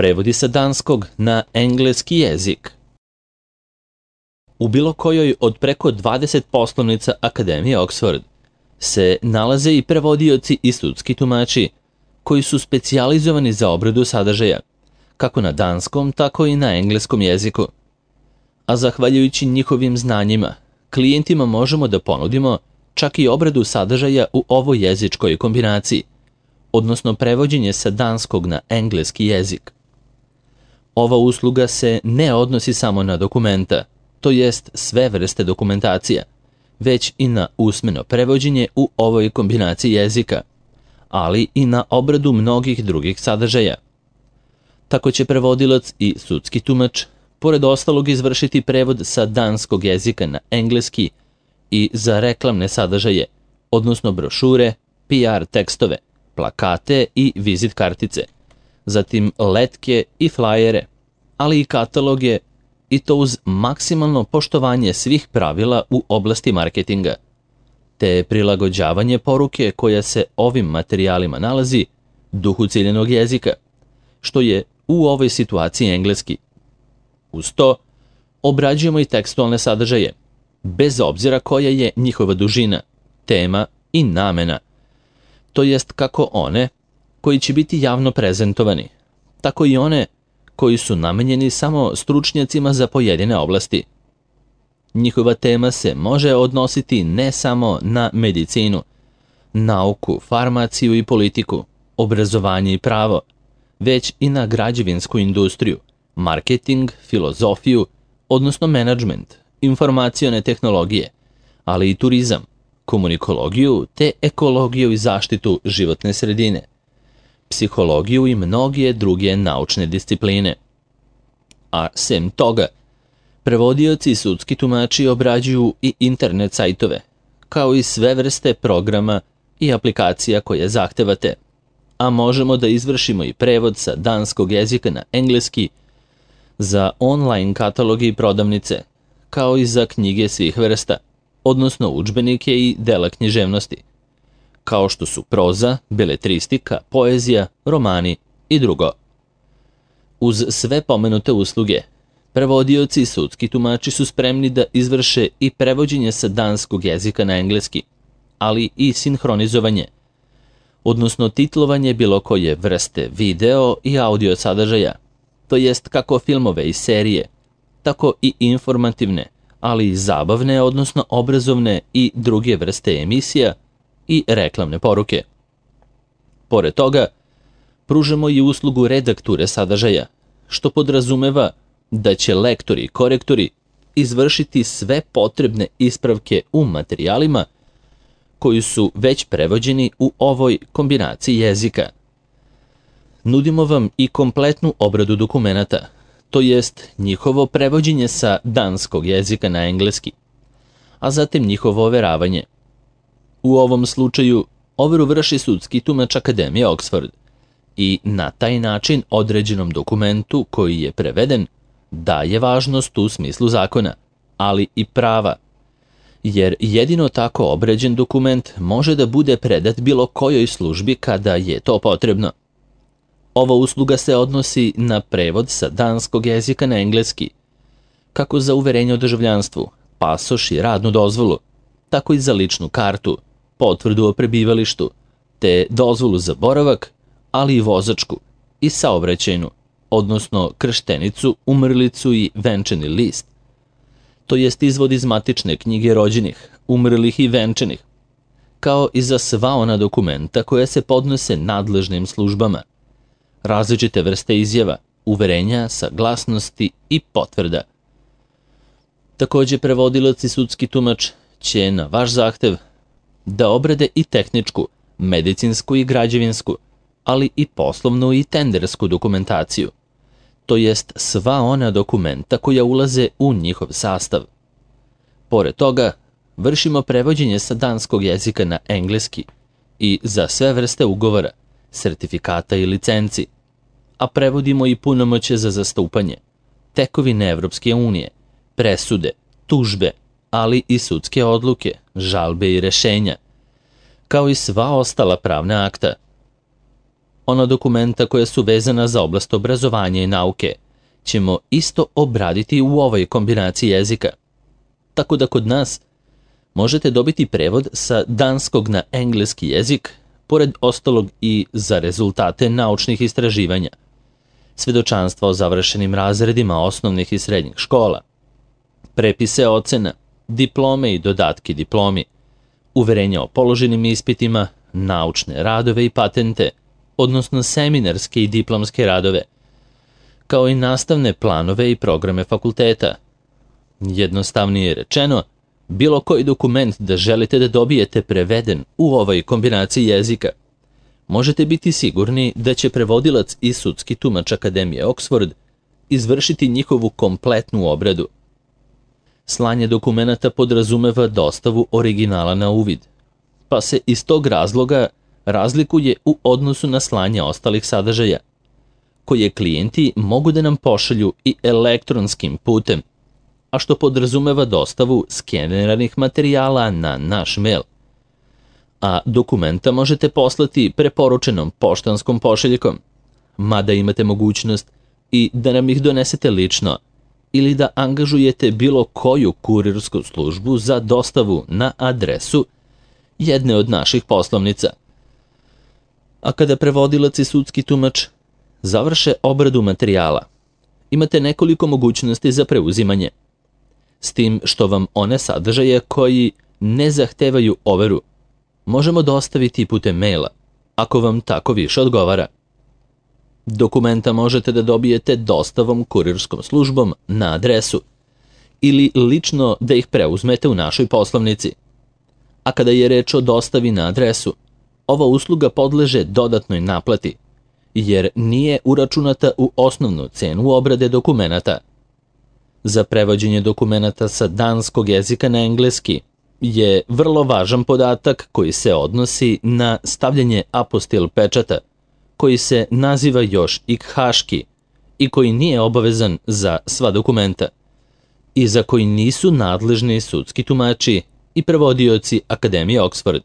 prevodi sa danskog na engleski jezik. U bilo kojoj od preko 20 poslovnica Akademije Oxford se nalaze i prevodioci i sudski tumači koji su specijalizovani za obradu sadržaja, kako na danskom, tako i na engleskom jeziku. A zahvaljujući njihovim znanjima, klijentima možemo da ponudimo čak i obradu sadržaja u ovoj jezičkoj kombinaciji, odnosno prevođenje sa danskog na engleski jezik. Ova usluga se ne odnosi samo na dokumenta, to jest sve vrste dokumentacija, već i na usmeno prevođenje u ovoj kombinaciji jezika, ali i na obradu mnogih drugih sadržaja. Tako će prevodilac i sudski tumač, pored ostalog, izvršiti prevod sa danskog jezika na engleski i za reklamne sadržaje, odnosno brošure, PR tekstove, plakate i vizit kartice, zatim letke i flajere, ali i kataloge, i to uz maksimalno poštovanje svih pravila u oblasti marketinga, te prilagođavanje poruke koja se ovim materijalima nalazi duhu ciljanog jezika, što je u ovoj situaciji engleski. Uz to, obrađujemo i tekstualne sadržaje, bez obzira koja je njihova dužina, tema i namena, to jest kako one koji će biti javno prezentovani, tako i one koji su namenjeni samo stručnjacima za pojedine oblasti. Njihova tema se može odnositi ne samo na medicinu, nauku, farmaciju i politiku, obrazovanje i pravo, već i na građevinsku industriju, marketing, filozofiju, odnosno menadžment, informacione tehnologije, ali i turizam, komunikologiju te ekologiju i zaštitu životne sredine, psihologiju i mnoge druge naučne discipline. A sem toga, prevodioci i sudski tumači obrađuju i internet sajtove, kao i sve vrste programa i aplikacija koje zahtevate, a možemo da izvršimo i prevod sa danskog jezika na engleski za online kataloge i prodavnice, kao i za knjige svih vrsta, odnosno udžbenike i dela književnosti, kao što su proza, beletristika, poezija, romani i drugo. Uz sve pomenute usluge, prevodioci i sudski tumači su spremni da izvrše i prevođenje sa danskog jezika na engleski, ali i sinhronizovanje, odnosno titlovanje bilo koje vrste video i audio sadržaja, to jest kako filmove i serije, tako i informativne, ali i zabavne, odnosno obrazovne i druge vrste emisija i reklamne poruke. Pored toga, pružamo i uslugu redakture sadržaja, što podrazumeva da će lektori i korektori izvršiti sve potrebne ispravke u materijalima koji su već prevođeni u ovoj kombinaciji jezika. Nudimo vam i kompletnu obradu dokumenata, to jest njihovo prevođenje sa danskog jezika na engleski, a zatim njihovo overavanje. U ovom slučaju overu vrši sudski tumač Akademije Oxford i na taj način određenom dokumentu koji je preveden daje važnost u smislu zakona, ali i prava, jer jedino tako obređen dokument može da bude predat bilo kojoj službi kada je to potrebno. Ova usluga se odnosi na prevod sa danskog jezika na engleski, kako za uverenje o državljanstvu, pasoš i radnu dozvolu, tako i za ličnu kartu, potvrdu o prebivalištu, te dozvolu za boravak, ali i vozačku i saobraćajnu, odnosno krštenicu, umrlicu i venčani list, to jest izvod iz matične knjige rođenih, umrlih i venčanih, kao i za sva ona dokumenta koja se podnose nadležnim službama, različite vrste izjava, uverenja, saglasnosti i potvrda. Takođe, prevodilac i sudski tumač će na vaš zahtev da obrade i tehničku, medicinsku i građevinsku, ali i poslovnu i tendersku dokumentaciju, to jest sva ona dokumenta koja ulaze u njihov sastav. Pored toga, vršimo prevođenje sa danskog jezika na engleski i za sve vrste ugovora, sertifikata i licenci, a prevodimo i punomoćje za zastupanje, tekovine Evropske unije, presude, tužbe, ali i sudske odluke, žalbe i rešenja, kao i sva ostala pravna akta. ona dokumenta koja su vezana za oblast obrazovanja i nauke, ćemo isto obraditi u ovoj kombinaciji jezika. Tako da kod nas možete dobiti prevod sa danskog na engleski jezik, pored ostalog i za rezultate naučnih istraživanja, svedočanstva o završenim razredima osnovnih i srednjih škola, prepise ocena, diplome i dodatke diplomi, uverenja o položenim ispitima, naučne radove i patente, odnosno seminarske i diplomske radove, kao i nastavne planove i programe fakulteta. Jednostavnije rečeno, bilo koji dokument da želite da dobijete preveden u ovoj kombinaciji jezika, možete biti sigurni da će prevodilac i sudski tumač Akademije Oxford izvršiti njihovu kompletnu obradu. Slanje dokumenata podrazumeva dostavu originala na uvid, pa se iz tog razloga razlikuje u odnosu na slanje ostalih sadržaja, koje klijenti mogu da nam pošalju i elektronskim putem, a što podrazumeva dostavu skeniranih materijala na naš mail. A dokumenta možete poslati preporučenom poštanskom pošiljkom, mada imate mogućnost i da nam ih donesete lično ili da angažujete bilo koju kurirsku službu za dostavu na adresu jedne od naših poslovnica. A kada prevodilac i sudski tumač završe obradu materijala, imate nekoliko mogućnosti za preuzimanje, s tim što vam one sadržaje koji ne zahtevaju overu možemo dostaviti putem maila, ako vam tako više odgovara. Dokumenta možete da dobijete dostavom kurirskom službom na adresu ili lično da ih preuzmete u našoj poslovnici. A kada je reč o dostavi na adresu, ova usluga podleže dodatnoj naplati, jer nije uračunata u osnovnu cenu obrade dokumenata. Za prevođenje dokumenata sa danskog jezika na engleski je vrlo važan podatak koji se odnosi na stavljanje apostil pečata, koji se naziva još i haški i koji nije obavezan za sva dokumenta i za koji nisu nadležni sudski tumači i prevodioci Akademije Oxford,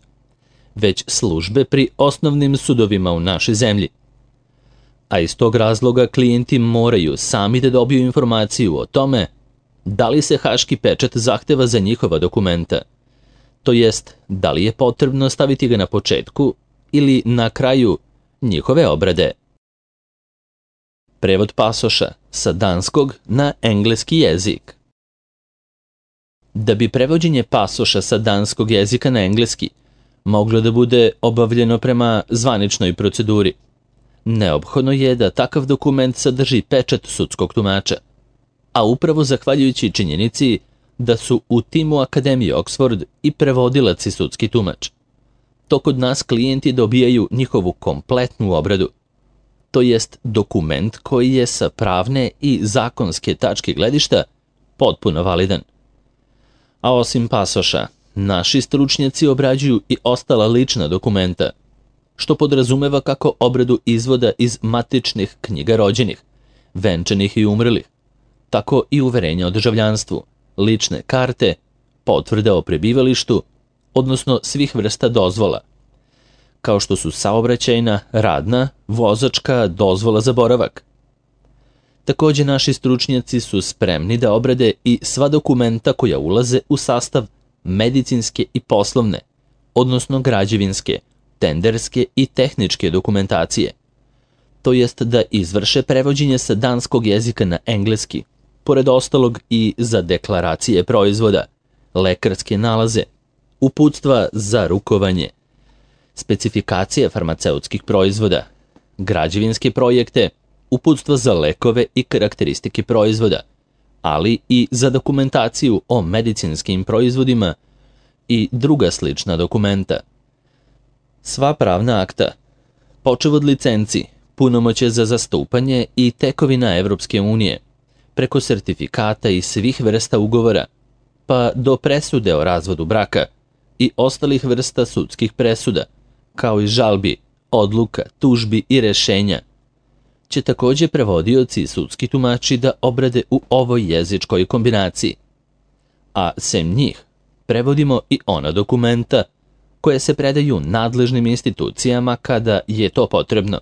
već službe pri osnovnim sudovima u našoj zemlji. A iz tog razloga klijenti moraju sami da dobiju informaciju o tome da li se haški pečat zahteva za njihova dokumenta, to jest da li je potrebno staviti ga na početku ili na kraju njihove obrade. Prevod pasoša sa danskog na engleski jezik. Da bi prevođenje pasoša sa danskog jezika na engleski moglo da bude obavljeno prema zvaničnoj proceduri, neophodno je da takav dokument sadrži pečat sudskog tumača, a upravo zahvaljujući činjenici da su u timu Akademije Oxford i prevodilac i sudski tumač, to kod nas klijenti dobijaju njihovu kompletnu obradu, to jest dokument koji je sa pravne i zakonske tačke gledišta potpuno validan. A osim pasoša, naši stručnjaci obrađuju i ostala lična dokumenta, što podrazumeva kako obradu izvoda iz matičnih knjiga rođenih, venčanih i umrlih, tako i uverenja o državljanstvu, lične karte, potvrde o prebivalištu, odnosno svih vrsta dozvola, kao što su saobraćajna, radna, vozačka, dozvola za boravak. Takođe, naši stručnjaci su spremni da obrade i sva dokumenta koja ulaze u sastav medicinske i poslovne, odnosno građevinske, tenderske i tehničke dokumentacije, to jest da izvrše prevođenje sa danskog jezika na engleski, pored ostalog i za deklaracije proizvoda, lekarske nalaze, uputstva za rukovanje, specifikacije farmaceutskih proizvoda, građevinske projekte, uputstva za lekove i karakteristike proizvoda, ali i za dokumentaciju o medicinskim proizvodima i druga slična dokumenta. Sva pravna akta, počev od licenci, punomoćje za zastupanje i tekovina Evropske unije, preko sertifikata i svih vrsta ugovora, pa do presude o razvodu braka i ostalih vrsta sudskih presuda, kao i žalbi, odluka, tužbi i rešenja, će takođe prevodioci i sudski tumači da obrade u ovoj jezičkoj kombinaciji. A sem njih, prevodimo i ona dokumenta koje se predaju nadležnim institucijama kada je to potrebno,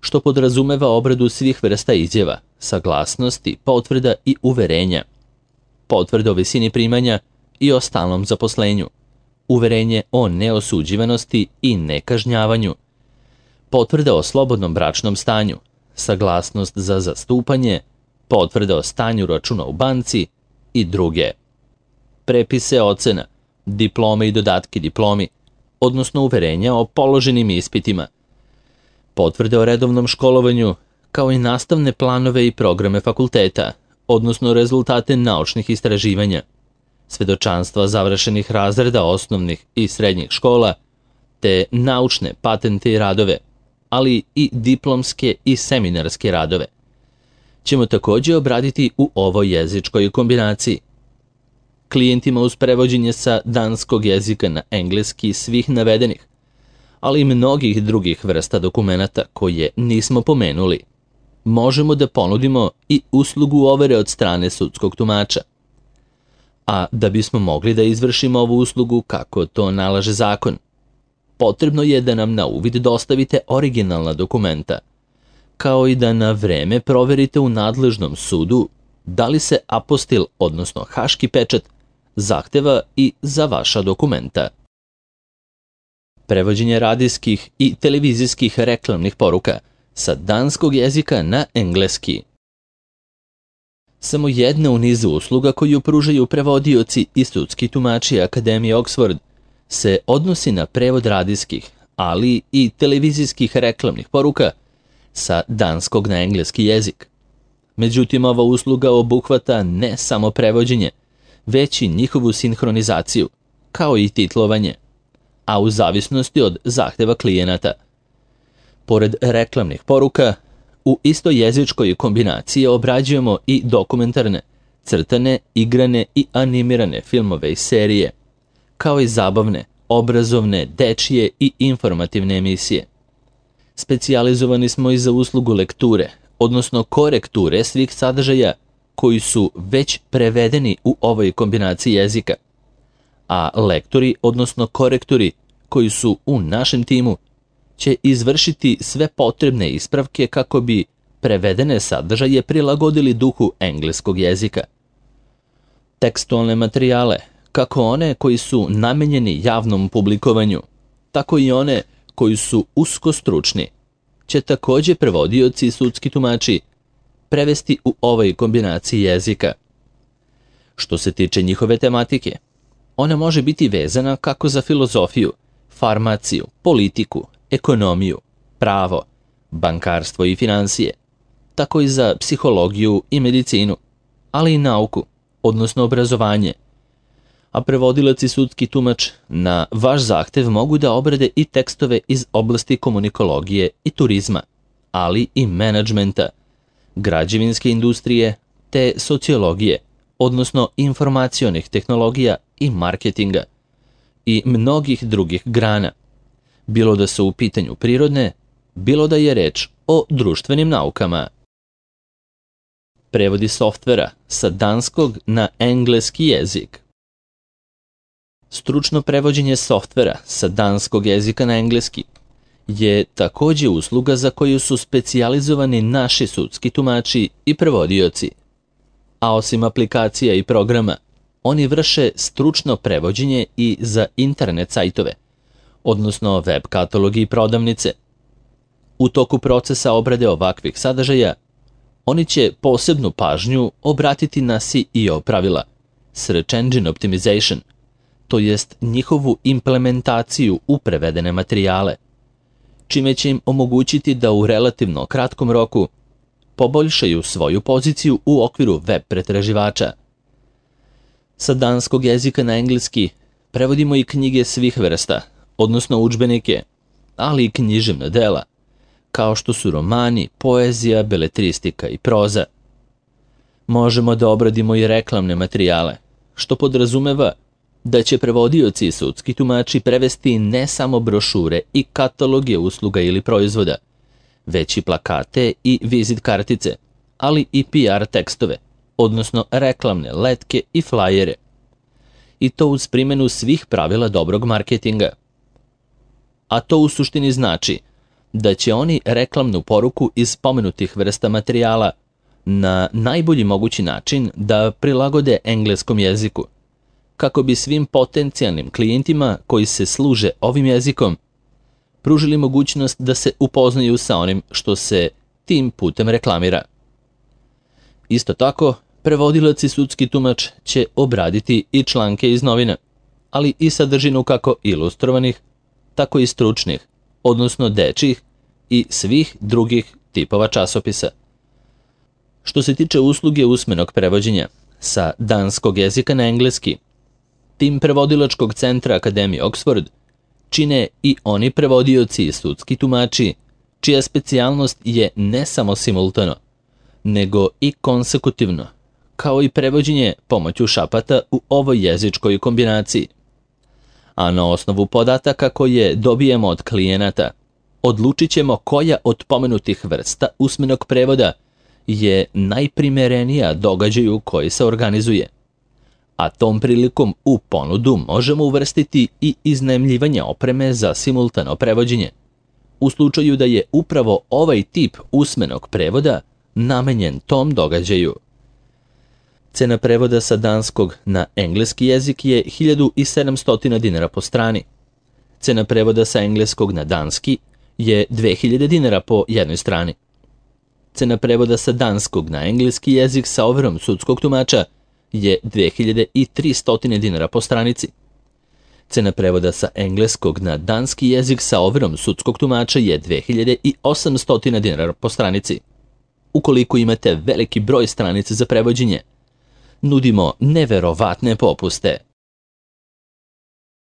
što podrazumeva obradu svih vrsta izjava, saglasnosti, potvrda i uverenja, potvrde o visini primanja i o stalnom zaposlenju, uverenje o neosuđivanosti i nekažnjavanju, potvrda o slobodnom bračnom stanju, saglasnost za zastupanje, potvrda o stanju računa u banci i druge. Prepise ocena, diplome i dodatke diplomi, odnosno uverenja o položenim ispitima, potvrde o redovnom školovanju, kao i nastavne planove i programe fakulteta, odnosno rezultate naučnih istraživanja, svedočanstva završenih razreda osnovnih i srednjih škola, te naučne patente i radove, ali i diplomske i seminarske radove, ćemo također obraditi u ovoj jezičkoj kombinaciji. Klijentima uz prevođenje sa danskog jezika na engleski svih navedenih, ali i mnogih drugih vrsta dokumenata koje nismo pomenuli, možemo da ponudimo i uslugu overe od strane sudskog tumača. A da bismo mogli da izvršimo ovu uslugu kako to nalaže zakon, potrebno je da nam na uvid dostavite originalna dokumenta, kao i da na vreme proverite u nadležnom sudu da li se apostil, odnosno haški pečat, zahteva i za vaša dokumenta. Prevođenje radijskih i televizijskih reklamnih poruka sa danskog jezika na engleski. Samo jedna u nizu usluga koju pružaju prevodioci i sudski tumači Akademije Oxford se odnosi na prevod radijskih, ali i televizijskih reklamnih poruka sa danskog na engleski jezik. Međutim, ova usluga obuhvata ne samo prevođenje, već i njihovu sinhronizaciju, kao i titlovanje, a u zavisnosti od zahteva klijenata. Pored reklamnih poruka, u istojezičkoj kombinaciji obrađujemo i dokumentarne, crtane, igrane i animirane filmove i serije, kao i zabavne, obrazovne, dečije i informativne emisije. Specijalizovani smo i za uslugu lekture, odnosno korekture svih sadržaja koji su već prevedeni u ovoj kombinaciji jezika, a lektori, odnosno korektori koji su u našem timu, će izvršiti sve potrebne ispravke kako bi prevedene sadržaje prilagodili duhu engleskog jezika. Tekstualne materijale, kako one koji su namenjeni javnom publikovanju, tako i one koji su usko stručni, će također prevodioci i sudski tumači prevesti u ovoj kombinaciji jezika. Što se tiče njihove tematike, ona može biti vezana kako za filozofiju, farmaciju, politiku, ekonomiju, pravo, bankarstvo i financije, tako i za psihologiju i medicinu, ali i nauku, odnosno obrazovanje. A prevodilac i sudski tumač na vaš zahtev mogu da obrade i tekstove iz oblasti komunikologije i turizma, ali i menadžmenta, građevinske industrije te sociologije, odnosno informacionih tehnologija i marketinga i mnogih drugih grana, bilo da su u pitanju prirodne, bilo da je reč o društvenim naukama. Prevodi softvera sa danskog na engleski jezik. Stručno prevođenje softvera sa danskog jezika na engleski je također usluga za koju su specijalizovani naši sudski tumači i prevodioci. A osim aplikacija i programa, oni vrše stručno prevođenje i za internet sajtove, odnosno web katalogi i prodavnice. U toku procesa obrade ovakvih sadržaja, oni će posebnu pažnju obratiti na SEO pravila, Search Engine Optimization, to jest njihovu implementaciju u prevedene materijale, čime će im omogućiti da u relativno kratkom roku poboljšaju svoju poziciju u okviru web pretraživača. Sa danskog jezika na engleski prevodimo i knjige svih vrsta, odnosno udžbenike, ali i književna dela, kao što su romani, poezija, beletristika i proza. Možemo da obradimo i reklamne materijale, što podrazumeva da će prevodioci i sudski tumači prevesti ne samo brošure i kataloge usluga ili proizvoda, već i plakate i vizit kartice, ali i PR tekstove, odnosno reklamne letke i flajere. I to uz primjenu svih pravila dobrog marketinga. A to u suštini znači da će oni reklamnu poruku iz pomenutih vrsta materijala na najbolji mogući način da prilagode engleskom jeziku, kako bi svim potencijalnim klijentima koji se služe ovim jezikom pružili mogućnost da se upoznaju sa onim što se tim putem reklamira. Isto tako, prevodilac i sudski tumač će obraditi i članke iz novina, ali i sadržinu kako ilustrovanih, tako i stručnih, odnosno dečjih i svih drugih tipova časopisa. Što se tiče usluge usmenog prevođenja sa danskog jezika na engleski, tim prevodilačkog centra Akademije Oxford čine i oni prevodioci i sudski tumači, čija specijalnost je ne samo simultano, nego i konsekutivno, kao i prevođenje pomoću šapata u ovoj jezičkoj kombinaciji. A na osnovu podataka koje dobijemo od klijenata, odlučit ćemo koja od pomenutih vrsta usmenog prevoda je najprimerenija događaju koji se organizuje. A tom prilikom u ponudu možemo uvrstiti i iznajmljivanje opreme za simultano prevođenje, u slučaju da je upravo ovaj tip usmenog prevoda namenjen tom događaju. Cena prevoda sa danskog na engleski jezik je 1700 dinara po strani. Cena prevoda sa engleskog na danski je 2000 dinara po jednoj strani. Cena prevoda sa danskog na engleski jezik sa overom sudskog tumača je 2300 dinara po stranici. Cena prevoda sa engleskog na danski jezik sa overom sudskog tumača je 2800 dinara po stranici. Ukoliko imate veliki broj stranica za prevođenje, nudimo neverovatne popuste.